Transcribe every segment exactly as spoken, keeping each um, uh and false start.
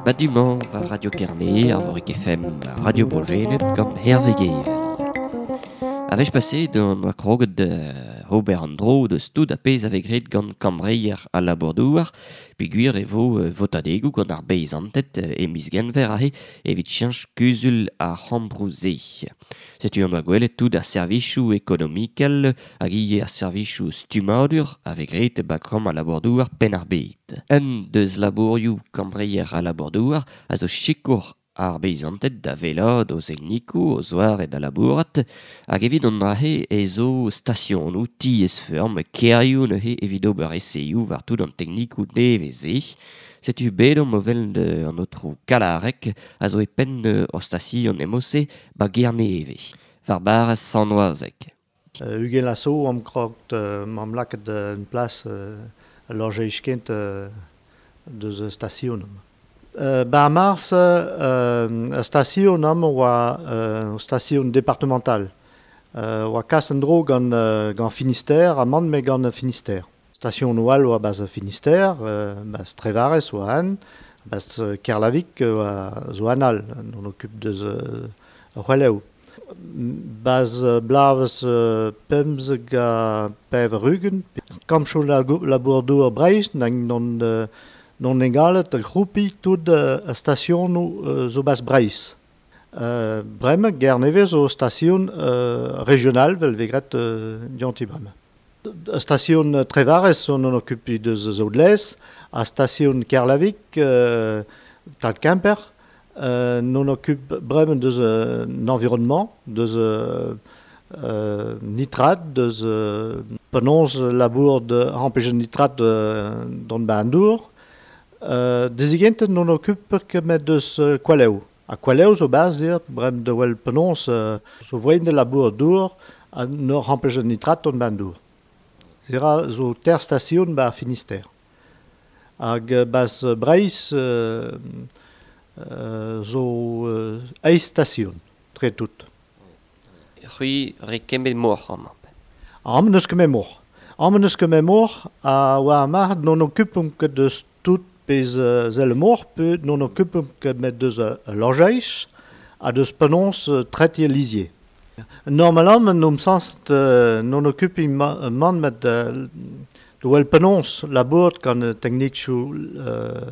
Ba du-mañ war Radio Kerne, Arvorig F M, Radio Bro Gwened gant Hervé Guével. A wech paset on oa kroget ober an dro deus tout a pezh a vez graet gant kambreier al labour-douar, peogwir e vo votadegoù gant ar beizanted e miz Genver aze evit cheñch kuzul ar c'hambroù-se. Setu on oa gwelet tout ar servijoù ekonomikel hag ivez ar servijoù stummadur a vez graet ba kambr al labour-douar Penn-ar-Bed. Un deus labourioù kambreier al labour-douar a zo sikour ar beizanted da wellaat o zeknikoù, o zoare da labourat, hag evit an dra-se e zo stasionoù, tiez-feurm, kêrioù neuze evit ober eseioù war tout an teknikoù nevez-se. Setu bet omp o welet an aotrou Kalarek a zo e penn ur station emose ba Gerneve, war barrez Sant-Wazeg. Uh, ugent laso am krogt uh, mam laket uh, en plas uh, lojeiz kent uh, deus station. Uh, ba mars, uh, station am oa uh, station départementale. Uh, oa kas en dro gant, uh, gant Finistère, a man me gant Finistère. Station oal oa baz Finistère, uh, baz Trevarez oa an, baz Kerlavik oa zo an al, on occupe deus uh, c'hwelev. Baz blavez uh, pemzek a pevar ugent. Kampchou labour-douar Breizh, nag non uh, non egalet a groupi tout a stasionoù uh, zo bas Breizh. Uh, bremañ, Gerneve zo station uh, régionale vel vegret uh, dianti bremañ. A station Trevarez on en occupe deus Zaudlez, a station Kerlavik, uh, tal Kemper, uh, non occupe bremañ deus uh, environnement, deus uh, uh, nitrate, deus uh, penaos labour de empêcher nitrate uh, don ba an dour. Uh, dezigent non occupe ket met deus uh, kwalev. A kwalev zo baz eo, brem de wel penaos uh, zo voen de labour dour a nor empêcher nitrate don ba an dour. Zera zo ter station ba Finistère. Hag baz Breizh uh, uh, zo uh, eizh station, tre tout. C'hwi re kemmet moc'h amañ. Amañ n'eus ket met moc'h. Amañ n'eus ket met moc'h a oa mar non occupomp ket deus tout pez uh, zel moc'h pe non occupomp ket met deus uh, lojeiz ha deus penaos uh, tretier lizier. Normalement, non sens uh, non occupi ma, man met uh, de wel penaos labour gant uh, teknikioù uh,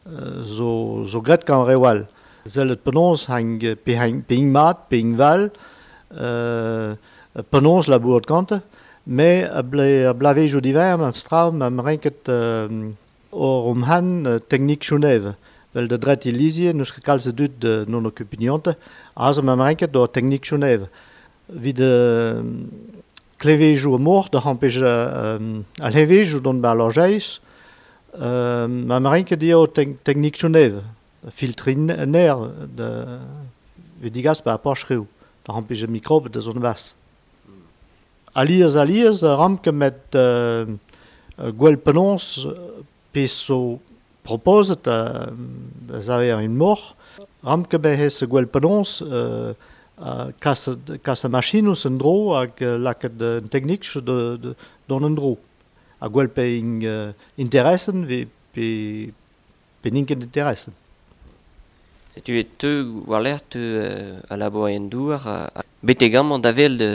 uh, zo, zo gret gant rewal. Zel et penaos hang pe hang pe ing mat, pe ing val, uh, penaos labour gante, me a ble, a blavejoù diver, am stra, am renket uh, or om han uh, teknik Genève. Vel de dret Elysier, neus ket kalz dud de non occupiniante, aze am renket do teknik Genève. Vid uh, klevejou mor, da hampej uh, al hevejou don ba lojeiz, uh, am renket eo te teknik Genève. Filtrin ner de vid digas ba porchreou, da hampej mikrobe de zon bas. Alias alias ramke met uh, gwell penaos pe so proposet uh, da zaver un mor, ramke be hez gwell penaos uh, uh, kas, kas a machinous en dro hag uh, laket un teknik de, de, don en dro. Ha gwell pe ing uh, interessen ve pe, pe n'int ket interessen. Setu e teu war-lerc'h teu uh, a labour en douar, a, a betek amañ da wel de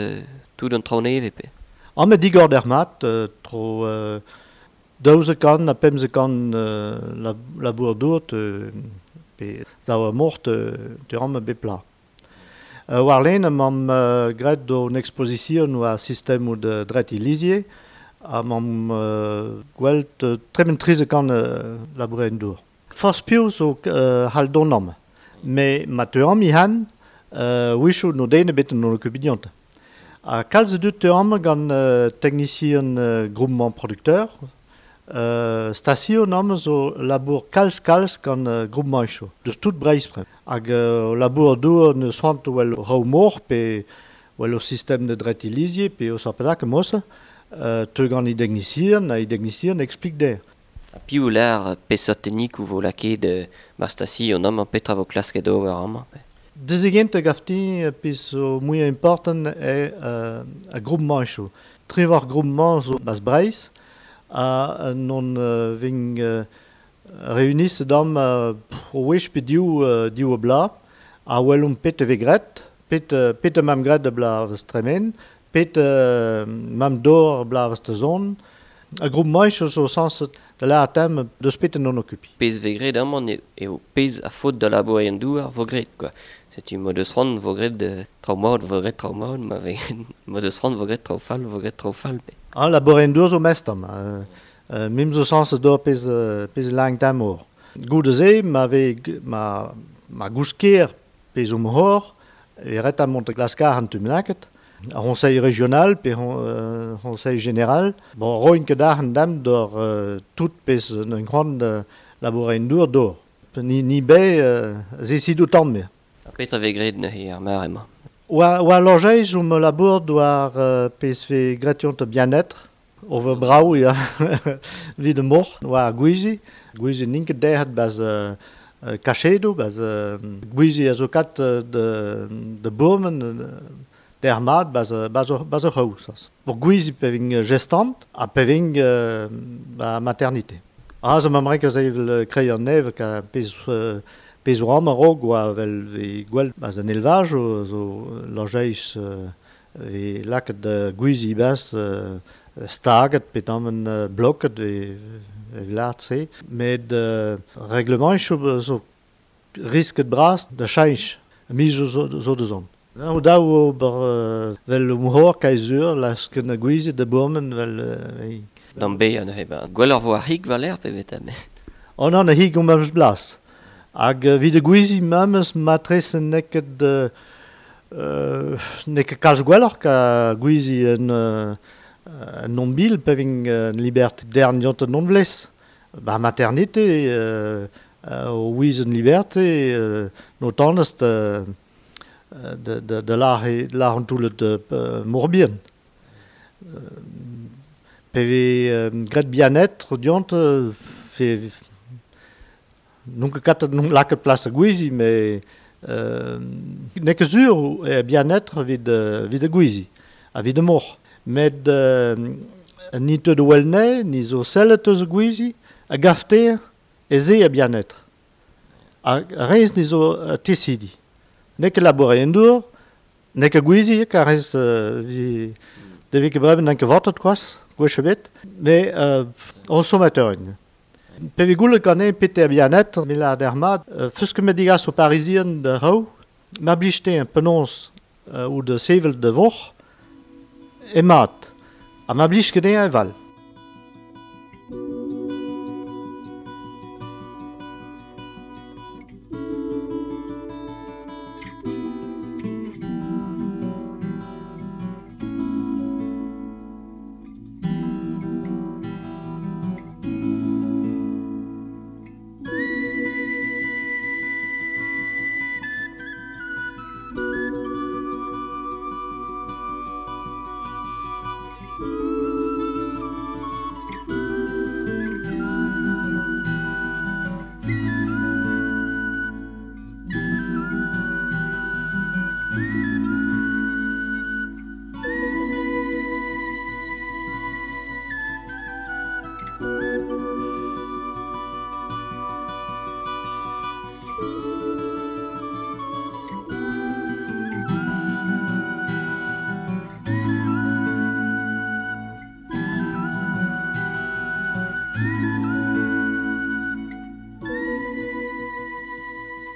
tout an traoù nevez pe. Amañ digor d'ar mat, uh, tro uh, daouzek kant ha pemzek kant uh, la, labour dour te, pe zav a mor te, te amañ bep pla. Uh, war-len am uh, graet do un exposition war sistem ou de dret Elysier, am am uh, gwelt uh, tremen trizek kant uh, labour en dour. Forzh piv zo uh, hal don am. Me ma teu am i han, uh, wichou no den ebet non occupiniante. A kalz dud teu am gant uh, technicien uh, groupement producteur, uh, station am zo labour kalz kalz gant uh, groupement icho. Deus tout Breizh pre. Hag uh, labour dour ne soant wel raou mor pe wel o sistem de dret Elysier pe o sarpedak mos, uh, teu gant i technicien, a i technicien explique der. A piv lar peseurt teknikoù vo lakaet uh, ma station amañ petra vo klasket ober amañ pe. Dezegent gafti pis o muiañ important e uh, a groupement icho. Trivar groupement zo bas Breizh a non uh, ving uh, Réunis dam euh, o wech pe div, euh, div bla, a welomp pet e gret, pet, pet mam gret de bla vez tremen, pet euh, mam dor bla vez te zon. A groupe maich zo sens de la atem deus pet non occupi. Pez ve gret amañ eo pez a faot da labour en douar vo gret, quoi. Setu mod eus ran vo gret de traoù mat vo gret traoù mat, ma ve mod eus ran vo gret traoù fall vo gret traoù fall. Ah, labour en douar zo mestam. Euh, euh, mim zo sens d'or pez, pez lang tamor. Goude ze, ma ve ma, ma gousker pez um hor, e ret a mont glaskar an tum laket. Ar conseil régional pe euh, conseil général. Bon, roin ket ar an dam d'or euh, tout pez un grand euh, labour en dour d'or. Ni, ni be euh, zesido tamm me. Ar petra ve gret neuze ar mare emañ. Oa, oa lojeiz um labour doar euh, pez ve gretion te bien-être. Over brau, ja, wie de mor. Oa gwizi. Gwizi n'int ket derc'het baz euh, kachedoù, baz euh, gwizi a zo kat de, de bourmen, der mat baz, baz, baz ur c'haoù. Pour gwizi pe ving gestant ha pe ving euh, ba maternité. Ah, zo ma mrek a zevel krei an neve ka pez, euh, pez oa am a-raok oa vel ve gwell baz an elvaj zo, zo lojeiz euh, ve laket uh, gwizi baz euh, staget pe tamm uh, bloket ve, ve lart se. Met uh, reglement zo, zo risket bras da cheñch mi zo, zo, zo de zon. O daou ober uh, vel um hor kaezur lasken a gwizi de bourmen vel... Uh, D'an be neuze ba. Gwelloc'h vo ar hig valer pe veta me. Oh non, a hig om memes blas. Hag uh, vid de gwizi memes matres neket uh, uh, neket kalz gwelloc'h ka gwizi en uh, en non bil pe ving uh, liberte dern diont non vlez. Ba maternité uh, uh, o wiz en liberté uh, no tanest uh, de de de la la an toulet de uh, morbien. Uh, pe ve uh, gret bien-être diont uh, fe non ket kat non laket plas a gwizi mais euh, n'eo ket sur e bien-être vid vid a gwizi a vid a mor. Met euh, ni te de welne, ni zo sellet eus a gwizi, a gafter e ze a bien-être. A rez ni zo uh, tesidi. N'eo ket labour en dour, n'eo ket gwizi, ka rez euh, vi, de vez ket breven n'an ket vortet koaz, gwech ebet, mais euh, on sommateur. Pe vi goulet gant pete a bien-être, me la der mat, euh, feus ket me digas o parisien de hou, ma blijte un penons euh, ou de sevel de vor, e mat, ha ma blij ket e val.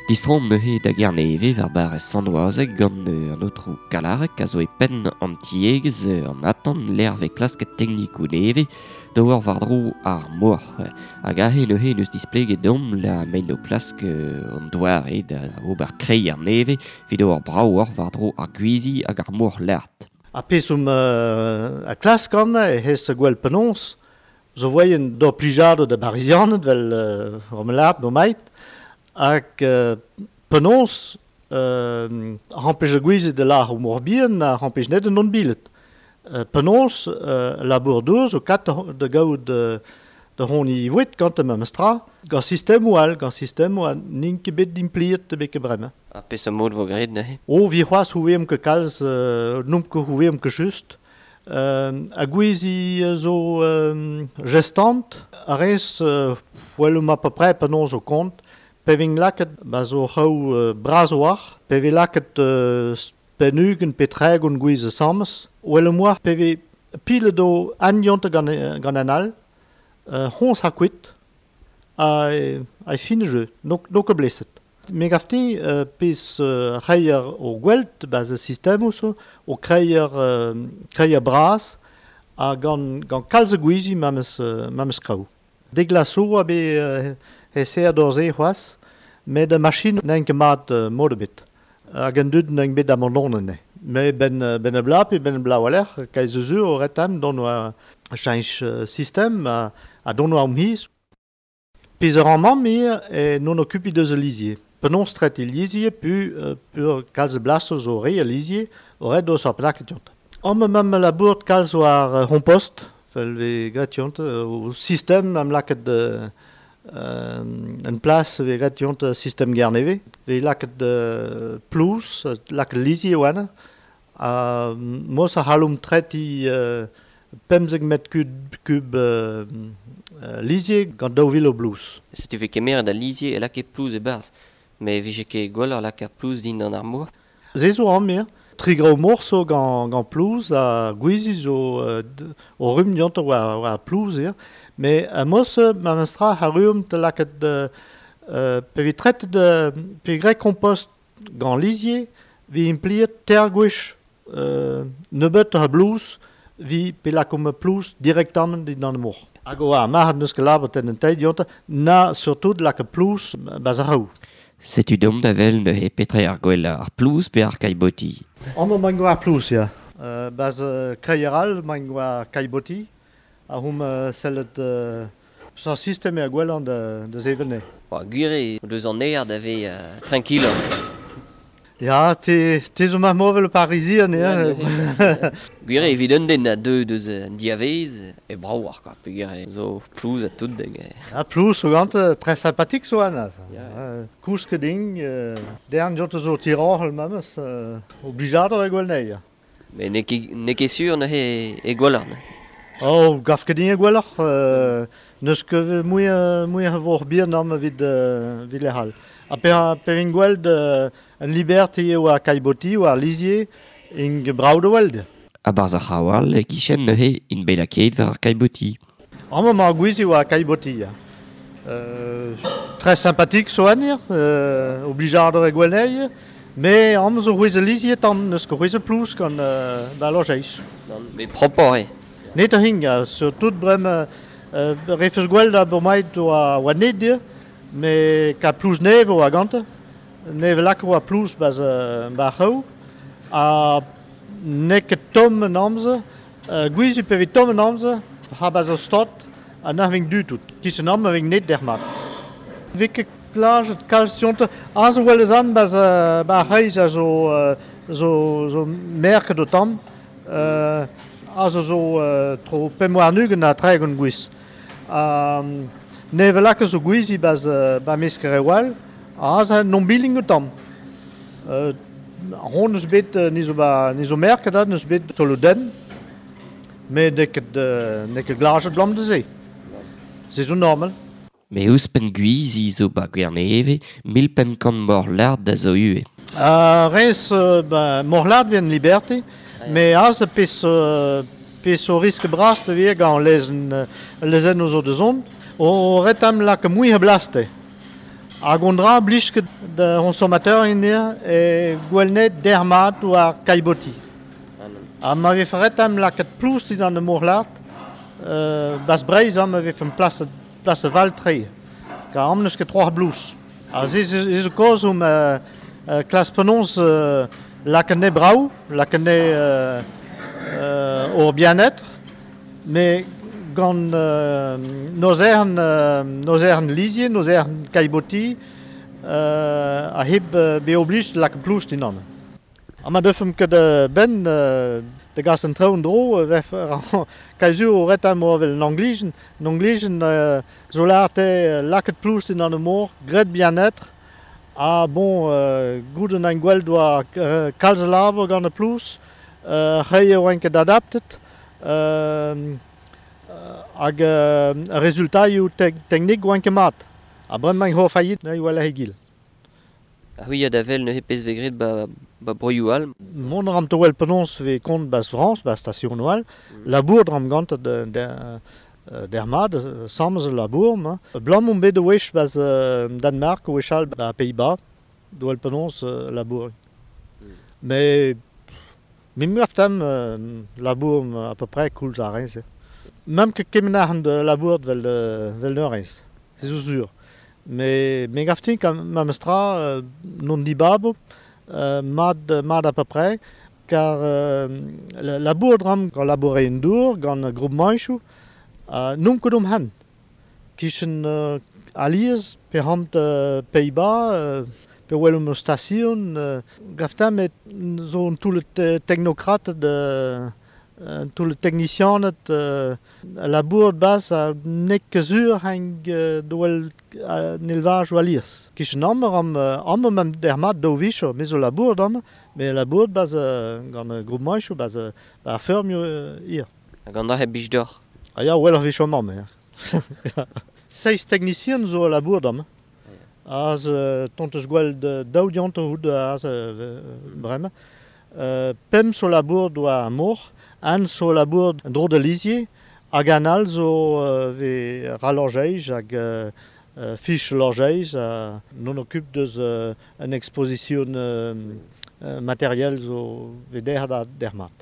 Distrom neuze da Gerneve war bar Sant-Oazeg gant an aotrou Kalarek a zo e penn an tiegezh an atan l'erve klasket teknikoù neve da war war-dro ar mor. Hag aze neuze neus displeget deomp la maen o klask an doare da ober kreiñ ar neve evit ober brav war-dro ar gwizi hag ar mor lart. A pez um euh, a klask an e hez gwell penons zo voyen d'ur plijado da barizianed vel euh, om lart no mait hag euh, penons euh, rampej a gwizi de lar o morbien a rampej net non bilet. Euh, penons euh, labour dour zo kat de gaout de, de hon i voet gant am mestra gant sistem ou al, gant sistem ou al n'int ket bet d'impliet de beke bremañ. Ha peseurt mod vo graet neuze? O, vi c'hoazh houveem ket kalz, euh, n'omp ket houveem ket just, Euh, a gwizi zo euh, gestant, a rez euh, well ma peu près penaos o kont, pe ving laket ba zo c'hou euh, braz war, pe vi laket euh, penugen pe tregon gwiz sames, well moar pe vi pile do an yonte gant, gant an all, euh, hons ha kuit, a, a fin jeu, no, no ket blesset. Me gafti euh, pez euh, reier o gwelt baz a sistem oso, o kreier, euh, kreier braz, ha gant, gant kalz a gwizi mames, euh, mames kraou. Deglaso a be euh, he ser d'or se c'hoaz, met a machine n'en ket mat euh, mod ebet. Hag an dud n'en bet amandonen ne. Me ben, ben a bla pe ben a bla waler, kaiz eus o retam don oa chanch euh, sistem a, a don oa omhiz. Pez ar an mamm e non okupi deus a lizier. Penaos tret e lizier, pu, euh, pur kalz blasos o re a lizier, o ret deus ar plaket yont. Am mam labourt kalz war uh, compost, fel ve gret yont, o sistem am laket euh, en plas ve gret yont sistem gerneve. Ve laket euh, plouz, laket lizier oan, a mos a halum treti euh, pemzek met kub, kub euh, lizier gant daou vil o blouz. Setu ve kemer da lizier e lake plouz e barz. Me vije ket gwelloc'h lakaat plouz din d'an ar mor. Se zo an mir. Tri grao mor zo gant, gant plouz a gwizi zo euh, o rum diont war, war plouz ir. Me a mos ma mestra a ruum te lakaat euh, pe vi tret de pe grek kompost gant lizier vi impliet ter gwech euh, nebeut a blouz vi pe lakom plouz direktamment din d'an mor. Hag o ar marc'had neus ket labot en un teid diont na surtout lakaat plouz baz ar raou. Setu dom da vel neuze petre ar gwell ar plouz pe ar kaiboti. Amañ mañ ar plouz, ya. Euh, baz euh, kreier all mañ war kaiboti, a hom euh, sellet euh, sa sistem e ar gwell an da, da zevel ne. Ba, gwir eo deus an aer da ve euh, tranquille. Ya, te, te zo mar movel parisien, ya. Gwir eo evit un den a deu deus an diavez, e brav ar, quoi. Peogwir eo zo plouz a tout deg. Ja, plouz zo gant, très sympathique zo an. Ya. Uh, Kousk ket ding, euh, dern jot zo tiranhel mames, euh, oblijadur e gwell nei. Me n'eo ket, n'eo ket sur neuze e gwelloc'h, ne. Oh, gaf ket din e gwelloc'h, euh, neus ket mui, mui a vor bihan am evit, euh, evit lec'hal. A pe, pe vin gweld euh, an liberté eo ar kaiboti o ar lizier ing brav da weld. A barz ar c'hawal e kichen neuze in belaket war ar kaiboti. Amañ ma gwizi war ar kaiboti, ya. Euh, très sympathique so anir, euh, oblijadur e gwellei, me am zo c'hwez a lizier tamm neus ket c'hwez a plouz gant euh, ba lojeiz. Me propoc'h eo. Net a hing, surtout brem euh, refus gweld a bomaet oa, oa net dir, me ka plouz nev oa gante, neve lak oa plouz baz, ba c'hou, ha n'eo ket tomm an amzer, euh, gwizu pe vez tomm an amzer, ha baz o stot, ha n'ar ving du tout. Kichen am a ving net der mat. Vez ket klajet kalz dionte, a zo wel eus an baz, ba c'hreiz a zo, zo, zo merket o tamm, euh, a zo zo euh, tro pemp warn-ugent ha tregont gwiz. Um, neve lak zo gwizi baz, ba meskere wal, a az a non billing o tamm. Euh, hon eus bet, ni zo ba, ni zo merket da, neus bet tolo den, me n'eo ket, n'eo ket glajet blam da se. Se zo normal. Me ouzhpenn gwizi zo ba Gwerneve, mil pemp kant morlard da zo ivez. Uh, rez, euh, ba, morlard vient liberté, me az a pez, euh, pez o risk bras te vir gant lezen, lezen o zo de zon, o retam lak mui a blaste. Hag on dra blij ket da consommateur in dir e gwellnet dermat war kaiboti. Ha ma vef retam lakaat plouz dit an de morlard, euh, bas breiz am ma vef en plas, plas val tre. Ka am neus ket troar blouz. Ha se ze zo koz om euh, euh, klas penons euh, lakaat ne brau, lakaat ne euh, euh, or bien-être, mais gant euh, noz ern, euh, noz ern lizier, noz ern kaiboti, euh, a heb euh, be oblige lak plouz din an. Ha ma deufem ket euh, ben euh, de gas an traoù dro, vef kaizu o retam o vel n'anglijen, n'anglijen euh, zo larte laket plouz din an mor, gret bien-être, ha bon, euh, gout an gwell doa euh, kalz labour gant ar plouz, euh, c'hei oan ket adaptet, Euh, hag euh, rezultaioù te teknik oan ket mat. Ha bremañ ho faillit na eo a hegil. Ha c'hwi a da vel neuze pezh vez graet ba, ba broioù all. Mont ram to wel penaos vez kont bas Frañs, ba station all, mm. Labour dram gant de, de, der mat, samz labour. Ma. Blam on bet wech bas Danemark, wech all ba Pays-Bas, do wel penaos labour. Mm. Mais mim gaftam labour à peu près koulz ar reñse. Même que kemenac'han de labour vel vel neurez, c'est sûr. Mais me gaftin kam mamestra euh, non dibabo euh, mad mad à peu près car euh, labour dram gant labourer en dour gant groupe manchou euh, non ket om han kichen euh, alies pe hamt euh, Pays-Bas euh, pe wel om station euh, gaftin met zo un tout le technocrate de Uh, tout le technicien uh, labour bas a nek kezur hang uh, doel uh, élevage ou alies. Kichen ammer am ammer mem der mat do vicho, me zo labour dam, me labour bas uh, gant uh, groupe manchou bas uh, ba fermio uh, ir. Hag an da heb bij d'or. Ah ya, wel ar vicho mamm, ya. Seiz technicien zo labour dam. Az uh, tonteus gwell de daou diant houd az uh, bremañ. Uh, pemp zo labour doa mor, an zo labour dro de lisier, hag an all zo uh, ve ralorjeij hag uh, uh, fich lorjeij, uh, non occupe deus uh, an exposition uh, uh, matériel zo ve der da der mat.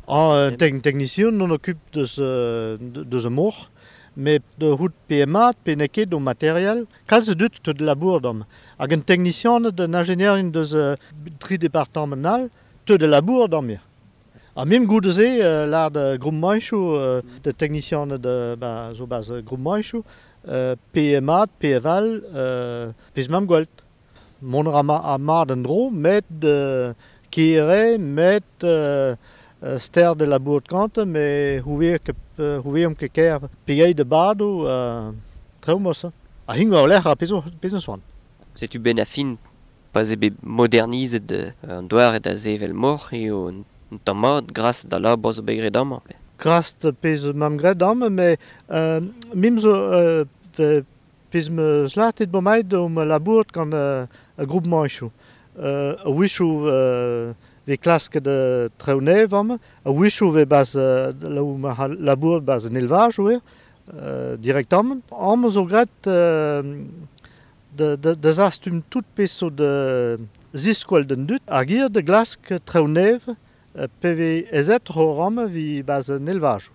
An uh, te technicien non occupe deus, uh, deus mor, mais de hout P M A, pe neket do matériel, kalz dut de labour dam. Hag an technicien d'un ingénieur deus uh, tri départemental, te de labour dam mir. A mim goude se, euh, lar de groupe manchou, euh, de technicien de ba, zo bas groupe manchou, euh, P M A, P F L, euh, pez mam gwelt. Mont ra ma, a mat an dro, met de kere, met euh, ster de labour de kante, me hoeveer ke hoeveer om ke ker pegei de bado, euh, treo mos. A hing war lec'h a pezo, pezo soan. Setu ben a fin, pa ze bet modernizet an doar et a zevel mor eo un tamm mat gras da labour zo bet graet amañ. Gras da pezh mam graet amañ, mais euh, mim zo euh, pezh me slatet bo maet om labour gant euh, a groupe manchou. Euh, a wichou euh, ve klask de traoù amañ, a wichou ve bas euh, labour bas an élevage oe, euh, directement. Amañ zo graet euh, de, de, de zastum tout pezh zo de ziskoel den dut, hag ir de glask traoù P V Z ho ram vi bas an élevage.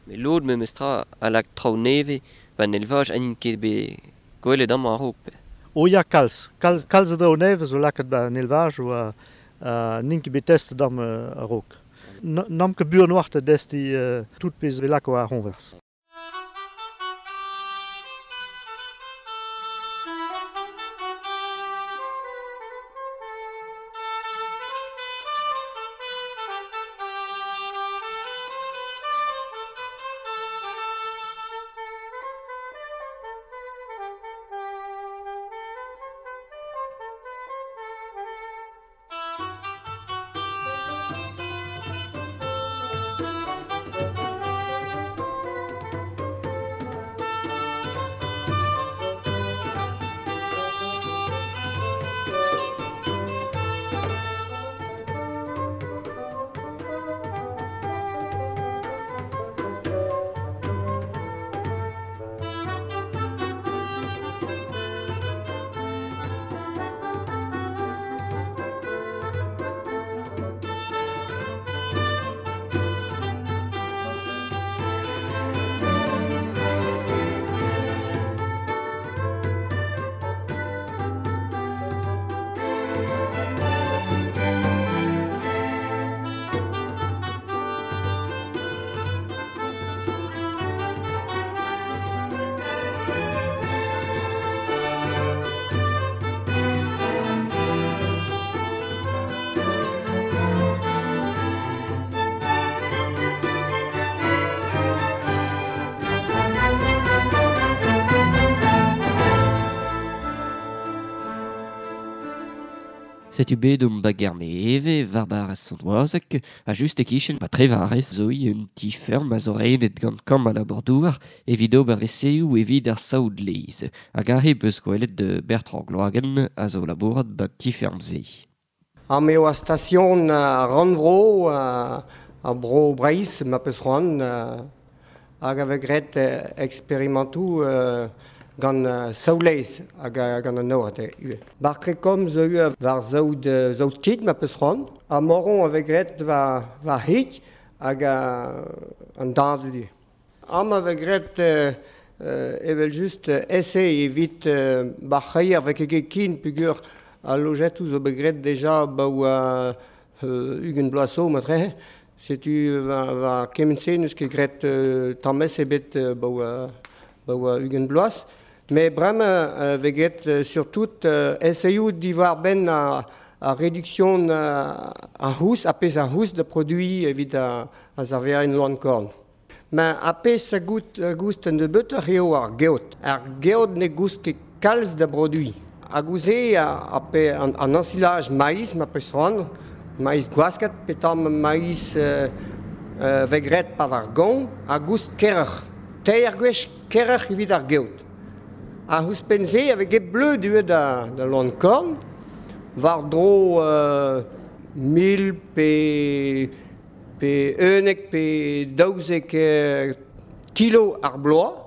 Mais lod me mestra a lak traoù neve ba an élevage an ket be gwelet amañ a-raok. O ya kalz, kalz, kalz traoù neve zo lakaet ba an élevage o a, a n'int ket bet testet dam a-raok. N'am ket buan oar te desti uh, tout pezh ve lako ar c'honvers. Setu bet um ba Gerne war bar Sant-Oazek, a just e kichen ba trevarez zo i un ti ferm a zo renet gant kamm a la bordouar evit ober eseoù evit ar saoud leiz. Hag ar beus gwelet de Bertrand Gloagen a zo labourat ba ti ferm ze. Ar meo a station a Rannvro a, a bro Breiz ma peus c'hoant hag a vegret experimentou euh, gant uh, saoulez hag gant an nord ue. Bar krekom zo ue war zaoud, zaoud kit ma peus c'hoant, ha moron a vegret war, war hik hag an dañv du. Am a vegret euh, evel just ese evit euh, bar c'heier vek ket kin pugur a lojetou zo begret deja ba oa euh, ugent bloaz zo matre. Setu va, va kement-se neus ket gret euh, tammez ebet euh, ba oa ba oa ugent bloaz. Mais bremañ euh, veget euh, surtout euh, eseioù diwar ben a, a réduction a, a hous, a pez a hous de produit evit a, a zarver en loan korn. Ma a pez a gout, a goust en de beuter eo ar geot. Ar geot ne goust ket kalz da produit. A gouze a, a pe, an, an ensilage maïs ma peus c'hoant, maïs gwasket, pe tamm maïs euh, euh, vegret par ar gant, a goust kerroc'h. Teir gwech kerroc'h evit ar geot. A ouzhpenn-se avec get bleu du da, da loan korn, war dro euh, mil pe, pe unek pe daouzek euh, kilo ar bloaz,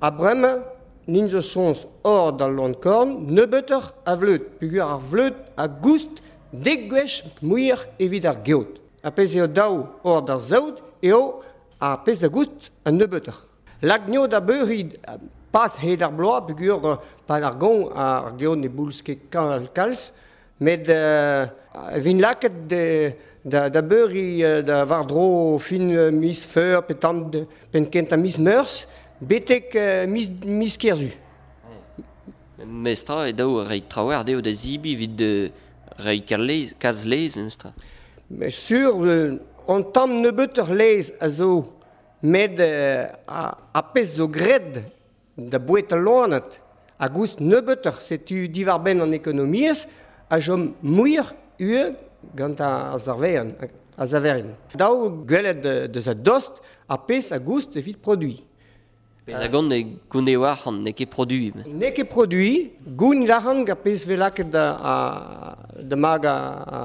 a bremañ nin zo soñs hor da loan korn, nebeutoc'h a vleud, pugur ar vleud a goust dek gwech muioc'h evit ar geot. A pezh eo daou hor d'ar saout eo ar pezh da goust an nebeutoc'h. Lagno da beuri pas hed ar bloaz, pugur pa ar gont ar geot ne boulz ket kalz, met euh, vin laket de, da, da beuri da war dro fin miz feur pe tamm pen kent a miz meurzh, betek miz, miz kerzu. Mestra e daou rei traoù dezho da zibi evit de rei kalz kalz lez memestra. Mais sur on tamm nebeutoc'h lez a zo met euh, a, a pezh zo gred da bouet al loanat a goust nebeutoc'h setu diwar benn an ekonomiezh a chom muioc'h ue gant ar zarverin, a zaverin. Daou gwelet deus a dost a pezh a goust evit produit. Pezh a gant e gouneo arc'hant n'eo ket produit. N'eo ket produit, goun arc'hant gant pezh vez lakaet da, a, da mag a, a,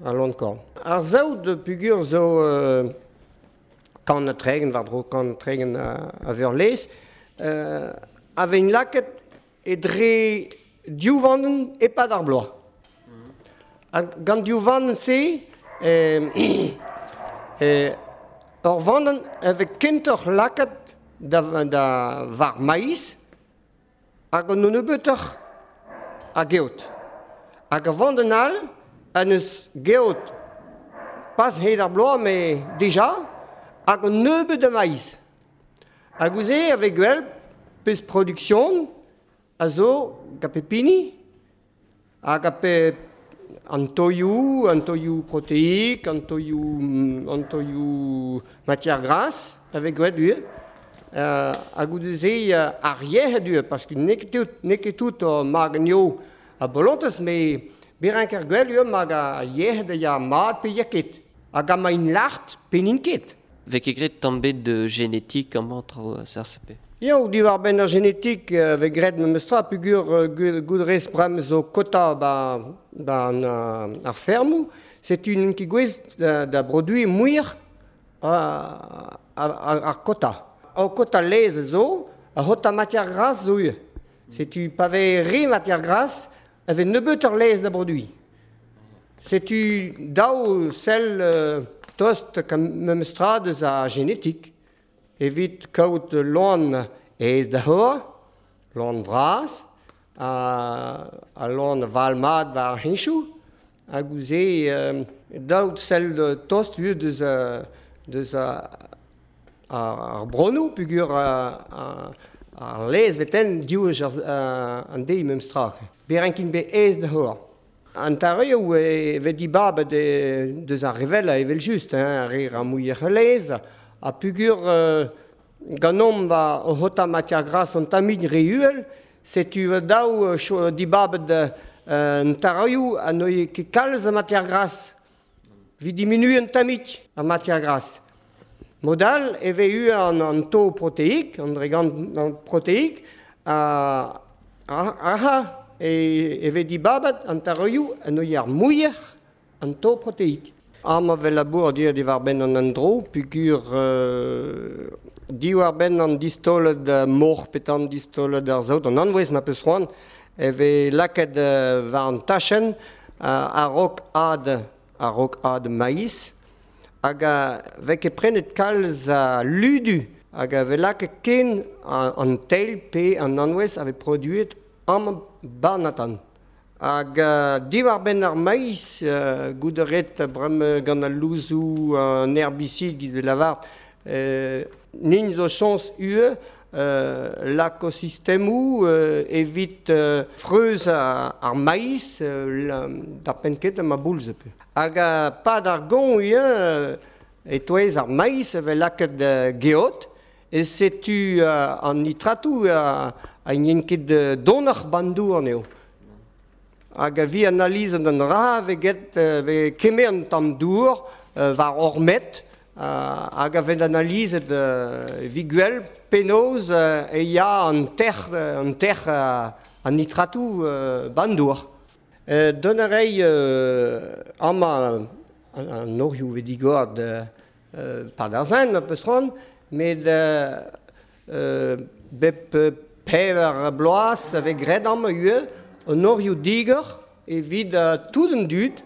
a loan korn. Ar saout pugur zo euh, kant a tregen, war dro kant a tregen a, a veur lez, euh, a vein laket e dre div vandenn e-pad ar bloaz. Mm. Gant div vandenn se, euh, euh, ur vandenn a vez kentoc'h laket da, da war maïs hag an nebeutoc'h a geot. Hag a vandenn all an eus geot pas hed ar bloaz, mais deja, hag an nebeut a maïs. Hag ouze avec gwell peus production a zo gant pepini, hag a pe an toioù, an toioù protéique, an toioù, an toioù matière grasse, avec gwell ue. Euh, hag goude-se ar yec'hed ue, parce que n'eo ket tout, n'eo ket tout o mag an a bolontez, mais berenk ar gwell ue mag a yec'hed a ya mat pe ya ket. Hag a ma in lart pe n'int ket. Vek e gret tamm bet de génétique amañ tro a C R C P. Eo, diwar benn ar génétique euh, vez gret memestra pugur euh, goudrez brem zo kota ba, ba an, ar fermou, setu n'int ket gwez da, da produit muioc'h ar, ar, ar kota. Ar kota lez zo, ar c'hota matière grasse zo ue. Setu pa vez re matière grasse, a vez nebeutoc'h lez da produit. Setu daou sell euh, tost kam memestra deus a génétique. Evit kaout loan aes da c'hor, loan vras, a, a loan val mat war ar heñchoù, hag ouze euh, daou sell tost ue deus, deus a, ar bronoù pugur ar lez veten div an deiz memestra. Berenkin be aes da c'hor. An tareoù e vez dibabet deus ar revella evel just, hein, ar re ra muioc'h lez, a pugur euh, ganomp va o c'hota matière grasse an tamin re uhel, Setu daou uh, dibabet uh, an taroioù a noie ket kalz a matière grasse. Vi diminu an tamik a matière grasse. Modal e ve eu an, an taux protéique, an dregant an protéique, a, a, aha, e, e ve dibabet an taroioù a noie ar mouier an taux protéique. Am a vel labour dir diwar ben an andro, pugur euh, diwar ben an distolet uh, mor petan distolet ar zaout, an anvez ma peus c'hoant, e ve laket uh, war an tachen uh, a-raok ad, a-raok ad maïs, hag a ve ket prenet kalz a ludu, hag a ve laket ken an, an teil pe an anvez a ve produet am barnatan. Hag uh, diwar ben ar maïs, uh, gouderet brem gant al louzou an herbicide giz de lavart, euh, nin zo chans ue, euh, l'akosistemou euh, evit euh, freuz ar, ar maïs euh, la, da penket ma boulze pe. Hag a pad ar gon ue, euh, etouez ar maïs vel laket uh, geot, e setu uh, an nitratou uh, a nien ket uh, donoc'h bandour an eo. Hag a vi analyse an ra ve get ve kemer an tamm dour euh, war ormet euh, hag a vent analyse euh, vi gwell penaos euh, e ya an ter an ter euh, an nitratou euh, bandour. Euh, don a rei euh, ama an, an orioù ve digord euh, par d'ar zen ma peus c'hoant, met euh, euh, bep pevar bloaz a ve graet amañ ue an orioù digor evit uh, tout an dud,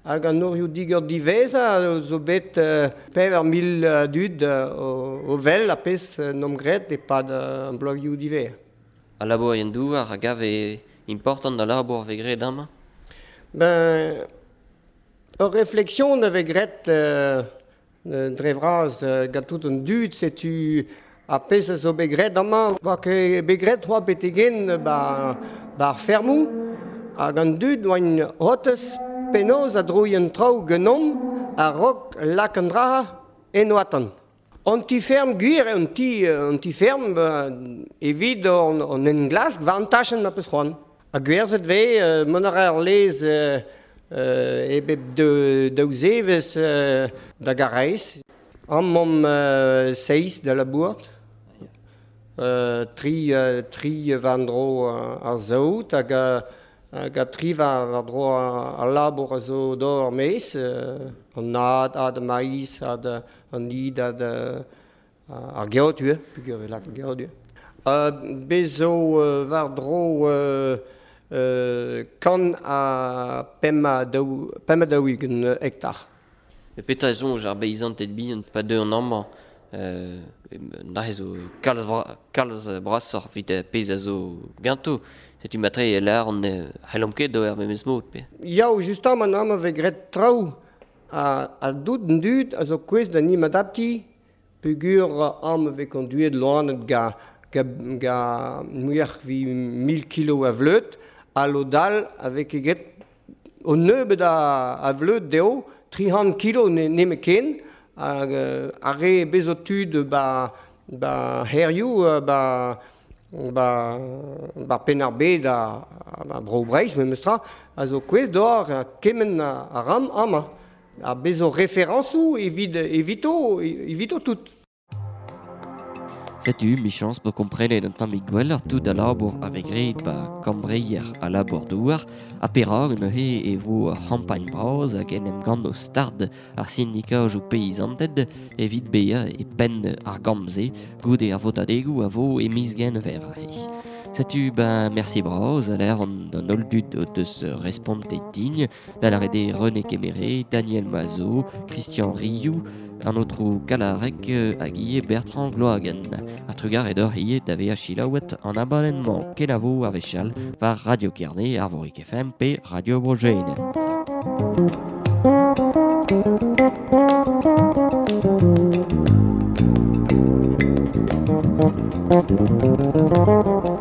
hag an orioù digor diveza zo bet uh, pevar mil uh, dud uh, o, o vel a pez uh, nom graet e-pad uh, an bloazioù divez. A labour en douar a gav e important da labour ve graet amañ? Ben, ur reflexion ave graet euh, dre vras uh, gant tout an dud, setu a pez a zo bet graet amañ, war ket bet graet c'hoa betegen ba, ba ar fermou, hag an dud oain hotez penaos a droi an traoù genomp a rok lak an dra en oatan. An ti ferm gwir, an ti, an ti ferm evit an, an englask war an tachenn ma peus c'hoant. A gwerzhet ve, euh, mont a ra ar lez euh, euh, e bep de, daou zevez euh, da gareiz. Am om euh, seiz da labourt. Euh, tri, euh, tri war dro uh, ar zaout hag a, hag a tri war, war dro ar labour a zo d'or ar mez, euh, an ad, ad maïs, ad an id, ad uh, ar geot ue, pugur ve lak ar geot ue. Uh, bez zo uh, war dro uh, uh, kan a pemp a daou, pemp a daou-ugent hektar. E petra ez soñj ar beizanted bihan pa deu an amañ euh, na zo kalz, bra, kalz brasoc'h evit pezh a zo ganto. Setu matre e lar an c'hellomp ket d'ober memes mod pe. Yaou, justement, an amañ vez graet traoù a, a dout an dud a zo kouez da nim adapti peogwir am vez konduet loanet ga, ga, ga muioc'h vi mil kilo a vleud, a lodal avec eget o nebeud a, a vleud dezho, tri c'hant kilo ne, nemet ken, hag ar re bezo tud ba, ba herioù, ba, ba, ba penn ar bed a, a bro Breizh memes tra, a zo kouez d'or kement a ram amañ. A bezo referañsoù evit, evito, evito tout. Setu, michans po komprenet an tammig gwelloc'h tout a labour a vez graet ba kambreier a labour douar, a perak neuze e vo ur c'hampagn bras hag en em gant o stard ar sindikajoù peizanted evit bezañ e penn ar gambze goude ar votadegoù a vo e miz Genver. Setu ben merci bras a l'air an an holl dud o deus respontet din, da lâret eo René Kemere, Daniel Mazo, Christian Riou, an aotrou Kalarek hag ivez Bertrand Gloagen. A trugar edor ivez da vezañ selaouet an abadenn-mañ kenavo a wechall war Radio Kerne, Arvorig F M pe Radio Bro-Gwened. Thank you.